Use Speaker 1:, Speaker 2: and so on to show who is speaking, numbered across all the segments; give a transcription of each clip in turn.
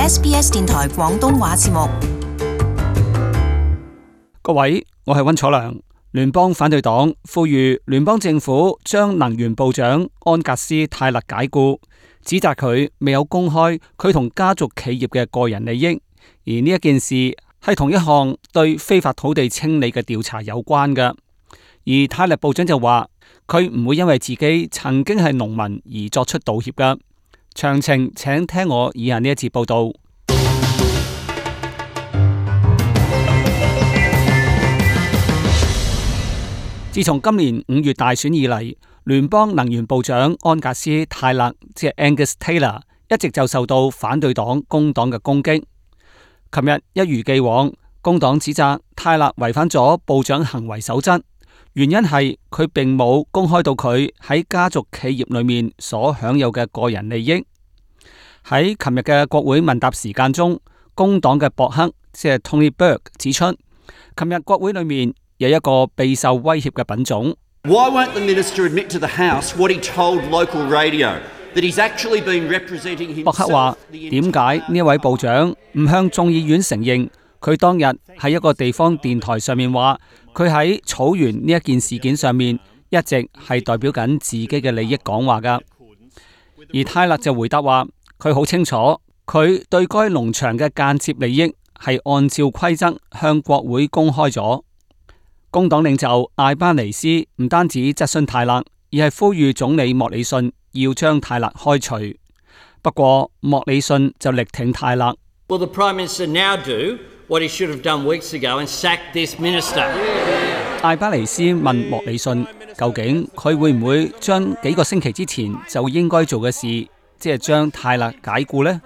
Speaker 1: SBS 電台廣東話節目。
Speaker 2: 各位，我係溫楚良。聯邦反對黨呼籲聯邦政府將能源部長安格斯泰勒解雇，指責佢未有公開佢同家族企業嘅個人利益，而呢一件事係同一項對非法土地清理嘅調查有關嘅。而泰勒部長就話佢唔會因為自己曾經係農民而作出道歉嘅。詳情請聽我以下呢一節報道。自從今年5月大選以嚟，聯邦能源部長安格斯泰勒即係 Angus Taylor 一直就受到反對黨工黨嘅攻擊。琴日一如既往，工黨指責泰勒違反咗部長行為守則，原因係佢並冇公開到佢喺家族企業裏面所享有嘅個人利益。喺琴日嘅國會問答時間中，工黨嘅博克即係 Tony Burke 指出，琴日國會裏面有一個備受威脅嘅品種。
Speaker 3: Why won't the minister admit to the House what he told local radio that he's actually been representing himself？ 博克話：點解呢一位部長唔向眾議院承認佢當日喺一個地方電台上面話佢喺草原呢一件事件上面一直係代表緊自己嘅利益講話㗎？而泰勒就回答話：佢好清楚，佢對該農場嘅間接利益係按照規則向國會公開咗。工黨領袖艾巴尼斯唔單止質詢泰勒，而係呼籲總理莫里遜要將泰勒開除。不過莫里遜就力挺泰勒。
Speaker 4: Will the Prime Minister now do what he should have done weeks ago and sack this minister？
Speaker 2: 艾巴尼斯問莫里遜，究竟佢會唔會將幾個星期之前就應該做嘅事，即係將泰勒解雇呢？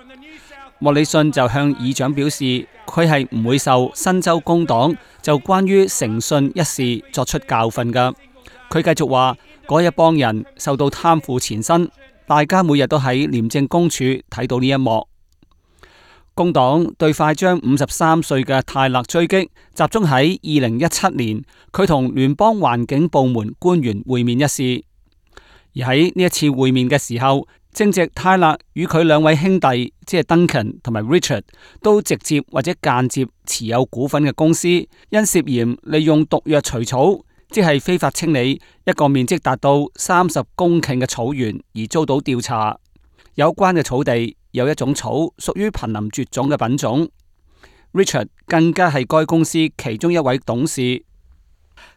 Speaker 2: 莫里遜就向議長表示，佢係唔會受新州工黨就關於誠信一事作出教訓㗎。佢繼續話，嗰一幫人受到貪腐纏身，大家每日都喺廉政公署睇到呢一幕。工黨對快將53歲嘅泰勒追擊，集中喺2017年佢同聯邦環境部門官員會面一事。而喺呢一次會面嘅時候，正值泰勒與佢兩位兄弟，即係 Duncan 同埋 Richard， 都直接或者間接持有股份嘅公司，因涉嫌利用毒藥除草，即係非法清理一個面積達到30公頃嘅草原而遭到調查。有關嘅草地有一種草屬於瀕臨絕種嘅品種。Richard 更加係該公司其中一位董事。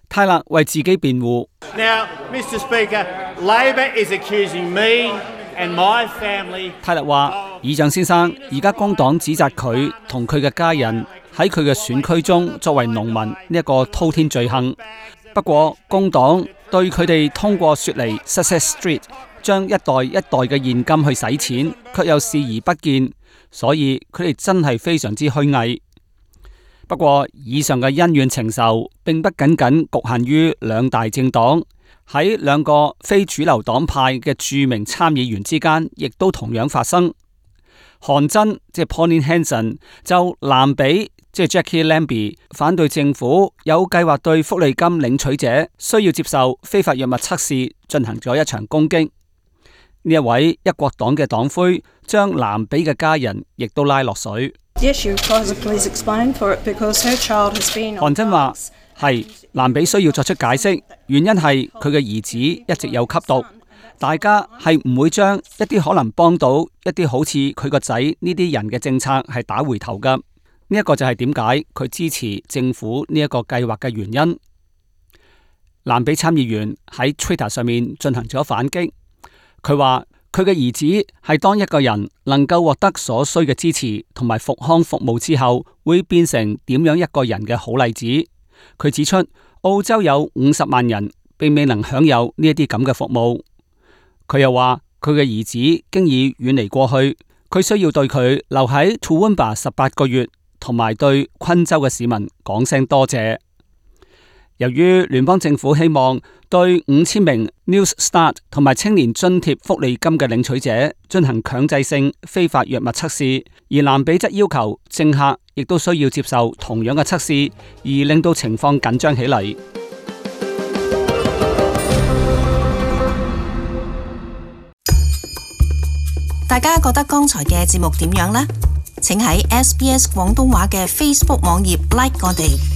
Speaker 2: 泰勒為自己辯護。
Speaker 5: Now, Mr. Speaker, Labor is accusing me and my family。
Speaker 2: 泰勒話：議長先生，而家工黨指責佢同佢嘅家人喺佢嘅選區中作為農民呢一個滔天罪行。不過工黨對佢哋通過雪梨 Sussex Street 將一代一代嘅現金去洗錢，卻又視而不見，所以佢哋真係非常之虛偽。不過以上嘅恩怨情仇並不僅僅局限於兩大政黨，喺兩個非主流黨派嘅著名參議員之間，亦都同樣發生。韓真即係 Pauline Hanson 就南比即係 Jackie Lambie 反對政府有計劃對福利金領取者需要接受非法藥物測試進行咗一場攻擊。呢一位一國黨嘅黨魁將南比嘅家人亦都拉落水。韓真話係南比需要作出解釋，原因係佢嘅兒子一直有吸毒，大家係唔會將一啲可能幫到一啲好似佢個仔呢啲人嘅政策係打回頭噶。呢一個就係點解佢支持政府呢一個計劃嘅原因。南比參議員喺 Twitter 上面進行咗反擊，佢話佢嘅兒子係當一個人能夠獲得所需嘅支持同埋復康服務之後，會變成點樣一個人嘅好例子。佢指出，澳洲有50萬人並未能享有呢一啲咁嘅服務。佢又話佢嘅兒子經已遠離過去，佢需要對佢留喺 Toowoomba 18個月，同埋對昆州嘅市民講聲多謝。由於聯邦政府希望對5000名 New Start 同埋青年津貼福利金嘅領取者進行強制性非法藥物測試，而南比則要求政客亦都需要接受同樣嘅測試，而令到情況緊張起嚟。
Speaker 1: 大家覺得剛才嘅節目點樣呢？請喺SBS 廣東話嘅 Facebook 網頁 like 我哋。